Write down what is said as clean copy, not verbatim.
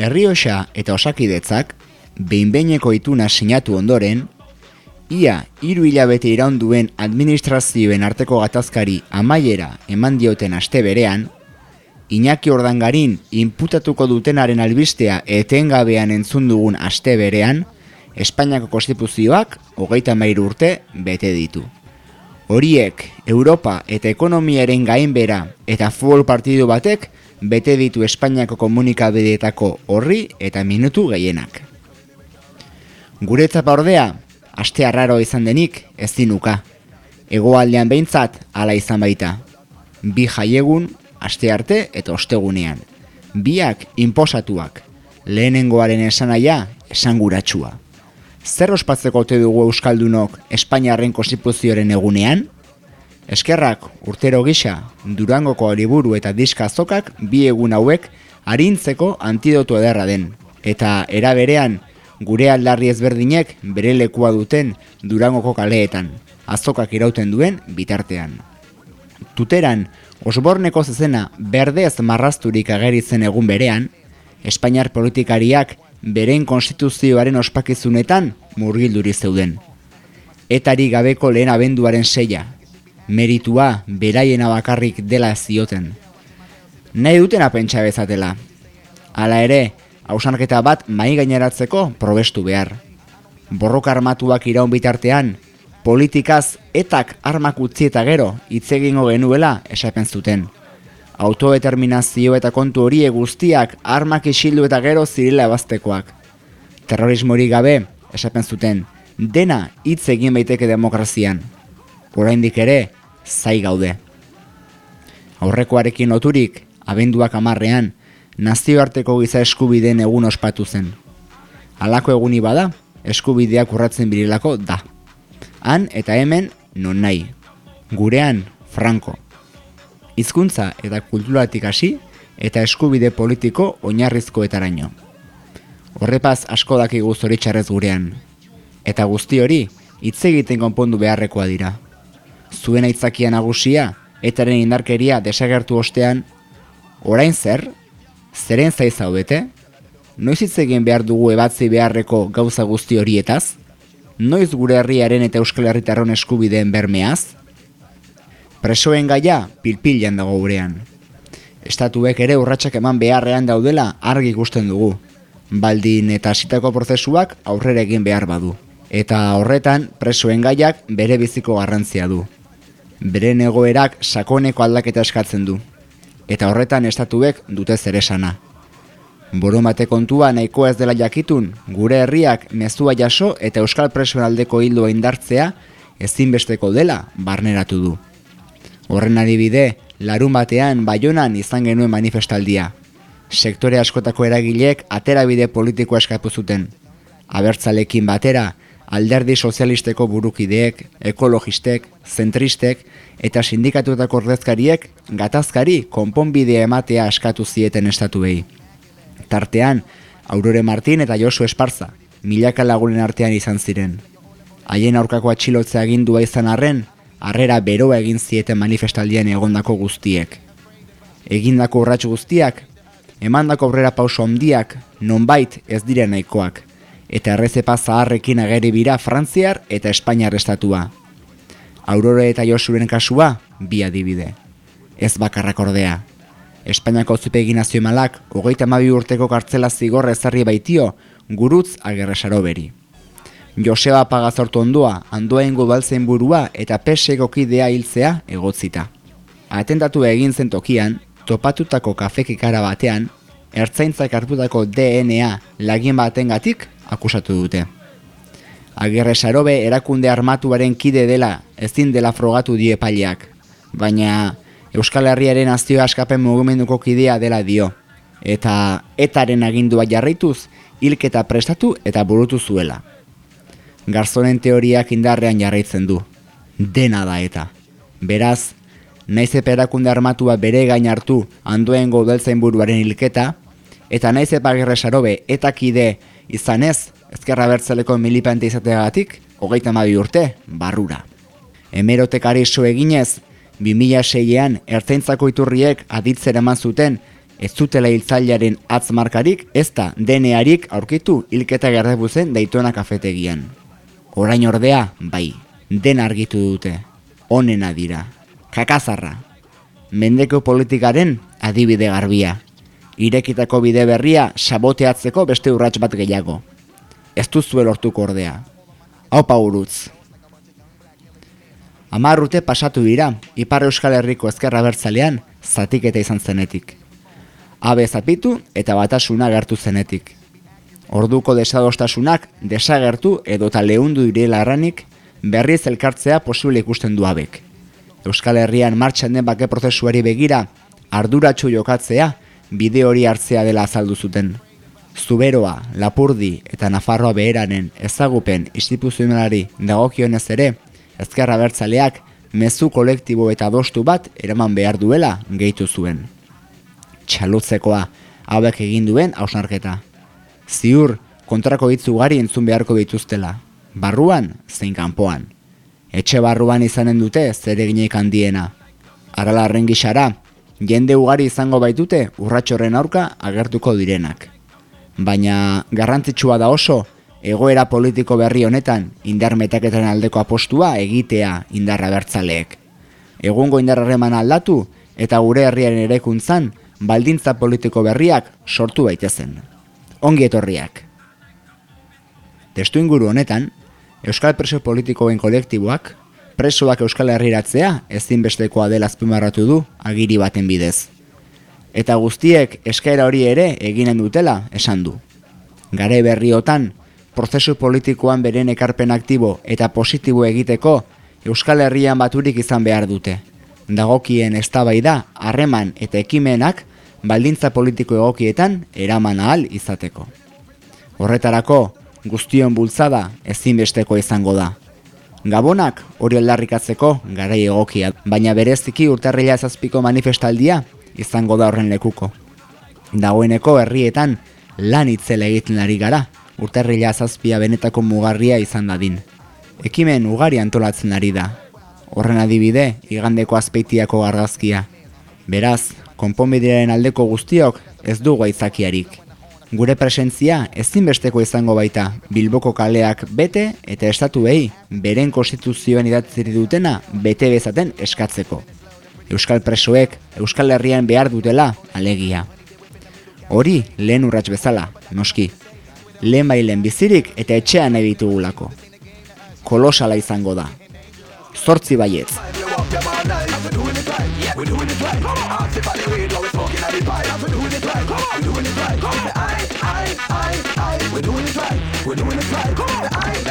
Errioxa eta Osakidetzak behin-behineko ituna sinatu ondoren, ia 3 hilabete iraun duen administrazioen arteko gatazkari amaiera eman dioten aste berean, Iñaki Ordangarin inputatuko dutenaren albistea etengabean entzun dugun aste berean, Espainiako konstituzioak 33 urte bete ditu. Horiek Europa eta ekonomiaren gainbera eta futbol partidu batek bete ditu Espainiako komunikabideetako orri eta minutu gehienak. Guretzat ordea, aste arraro izan denik ezin uka. Hegoaldean behintzat hala izan baita. 2 jaiegun, astearte eta ostegunean. Biak inposatuak, lehenengoaren esanaia esanguratsua. Zer ospatzeko ote dugu euskaldunok Espainiarren konstituzioaren egunean? Eskerrak urtero gisa Durangoko liburu eta diska azokak 2 egun hauek arintzeko antidoto ederra den. Eta era berean gure aldarri ezberdinek bere lekua duten Durangoko kaleetan, azokak irauten duen bitartean. Tuteran, Osborneko zezena berdez marrazturik ageri zen egun berean, Espainiar politikariak beren konstituzioaren ospakizunetan murgilduri zeuden. Etari gabeko lehen abenduaren 6, meritua beraiena bakarrik dela zioten. Nahi dutena pentsa bezatela. Hala ere, hausnarketa bat mahai gaineratzeko probestu behar. Borroka armatuak iraun bitartean, politikaz etak armak utzi eta gero hitz egingo genuela esaten zuten. Autodeterminazio eta kontu horiek guztiak armak isildu eta gero zirela ebaztekoak. Terrorismorik gabe esaten zuten, dena hitz egin baiteke demokrazian. Oraindik ere, zai gaude. Aurrekoarekin loturik, abenduak 10ean, nazioarteko giza eskubideen egun ospatu zen. Halako eguni bada, eskubideak urratzen birilako da. Han eta hemen non nahi. Gurean, franko. Hizkuntza eta kulturatik hasi eta eskubide politiko oinarrizkoetaraino. Horrepaz asko dakigu zoritxarrez gurean. Eta guzti hori, hitz egiten konpondu beharrekoa dira. Zuen aitzakia nagusia, etaren indarkeria desagertu ostean, orain zer? Zeren zaiz zaudete? Noiz hitz egin behar dugu ebatzi beharreko gauza guzti horietaz? Noiz gure herriaren eta Euskal Herritarron eskubideen bermeaz? Presoen gaia pilpilan dago gurean. Estatuek ere urratsak eman beharrean daudela argi ikusten dugu. Baldin eta hasitako prozesuak aurrera egin behar badu. Eta horretan presoen gaiak bere biziko garrantzia du. Beren egoerak sakoneko aldaketa eskatzen du. Eta horretan estatuek dute zeresana. Borondate kontua nahiko ez dela jakitun, gure herriak mezua jaso eta euskal presoen aldeko ildoa indartzea ezinbesteko dela barneratu du. Horren adibide, larunbatean Baionan izan genuen manifestaldia. Sektore askotako eragileek aterabide politikoa eskatu zuten. Abertzalekin batera, alderdi sozialisteko burukideek, ekologistek, zentristek eta sindikatuetako ordezkariek gatazkari konponbidea ematea eskatu zieten estatuei. Tartean, Aurore Martin eta Josu Esparza, milaka lagunen artean izan ziren. Haien aurkako atxilotzea agindua izan arren, harrera beroa egin zieten manifestaldian egondako guztiek. Egindako urrats guztiak, emandako aurrera pauso handiak, nonbait ez diren nahikoak, eta errezepa zaharrekin ageri bira Frantziar eta Espainiar estatua. Aurore eta Josuren kasua, 2 adibide. Ez bakarrak ordea. Espainiako auzitegi nazionalak 32 urteko kartzela zigorra ezarri baitio Gurutz Agerre Saroberi. Joseba Pagazortu ondoa, Andoaingo udaltzain burua eta PSeko kidea hiltzea egotzita. Atentatua egin zen tokian, topatutako kafekikara batean, ertzaintzak hartutako DNA lagin batengatik akusatu dute. Agerre Sarobe erakunde armatuaren kide dela ezin dela frogatu die epaileak, baina Euskal Herriaren nazio askapen mugimenduko kidea dela dio, eta etaren agindua jarraituz, hilketa prestatu eta burutu zuela. Garzonen teoriak indarrean jarraitzen du. Dena da eta. Beraz, naiz erakunde armatua bere gain hartu Andoaingo udaltzainburuaren hilketa, eta naiz Agerre Sarobe eta kide izanez, Ezker Abertzaleko militante izateagatik, 32 urte, barrura. Hemerotekari so eginez, 2006an ertzaintzako iturriek aditzera eman zuten Ez zutela hiltzailearen atzmarkarik, ez da DNA-arik aurkitu hilketa gertatu zen Daytona kafetegian. Orain ordea, bai, dena argitu dute. Onena dira. Kakazarra. Mendeko politikaren adibide garbia. Irekitako bide berria saboteatzeko beste urrats bat gehiago. Ez duzue lortuko ordea. Aupa urutz. 10 urte pasatu dira, Ipar Euskal Herriko ezker abertzalean zatiketa izan zenetik. Abe zapitu eta batasuna gertu zenetik. Orduko desadostasunak desagertu edota leundu direla erranik, berriz elkartzea posible ikusten du Abek. Euskal Herrian martxan den bake prozesuari begira, arduratsu jokatzea, bide hori hartzea dela azaldu zuten. Zuberoa, Lapurdi eta Nafarroa Beheranen ezagupen instituzionalari dagokionez ere, ezker abertzaleak mezu kolektibo eta adostu bat eraman behar duela gehitu zuen. Txalutzekoa, hauek egin duen hausnarketa. Ziur, kontrako hitz ugari entzun beharko dituztela, barruan zein kanpoan. Etxe barruan izanen dute zereginik handiena. Aralarren gixara, jende ugari izango baitute urratxorren aurka agertuko direnak. Baina garrantzitsua da oso, egoera politiko berri honetan indar metaketan aldeko apostua egitea indarra bertzaleek. Egungo indarrarreman aldatu eta gure herriaren eraikuntzan baldintza politiko berriak sortu baitezen. Ongi etorriak. Testuinguru honetan, Euskal preso politikoen kolektiboak presoak Euskal Herriratzea ezinbestekoa dela azpimarratu du agiri baten bidez. Eta guztiek eskaera hori ere eginen dutela esan du. Garai berriotan, prozesu politikoan beren ekarpen aktibo eta positibo egiteko Euskal Herrian baturik izan behar dute. Dagokien eztabaida, harreman eta ekimenak baldintza politiko egokietan eraman ahal izateko. Horretarako, guztion bultzada ezinbesteko izango da. Gabonak hori aldarrikatzeko garai egokia, baina bereziki urtarrila 7ko manifestaldia izango da horren lekuko. Dagoeneko herrietan lan itzela egiten ari gara, urtarrila 7 benetako mugarria izan dadin. Ekimen ugari antolatzen ari da. Horren adibide, igandeko Azpeitiako argazkia. Beraz, konponbidearen aldeko guztiok ez dugu aitzakiarik. Gure presentzia ezinbesteko izango baita Bilboko kaleak bete eta estatuei beren konstituzioen idatzi dutena bete bezaten eskatzeko. Euskal presoek Euskal Herrian behar dutela alegia. Hori lehen urrats bezala, noski. Lehen bizirik eta etxean nahi ditugulako. Kolosala izango da. 8 baietz. We're doing it right.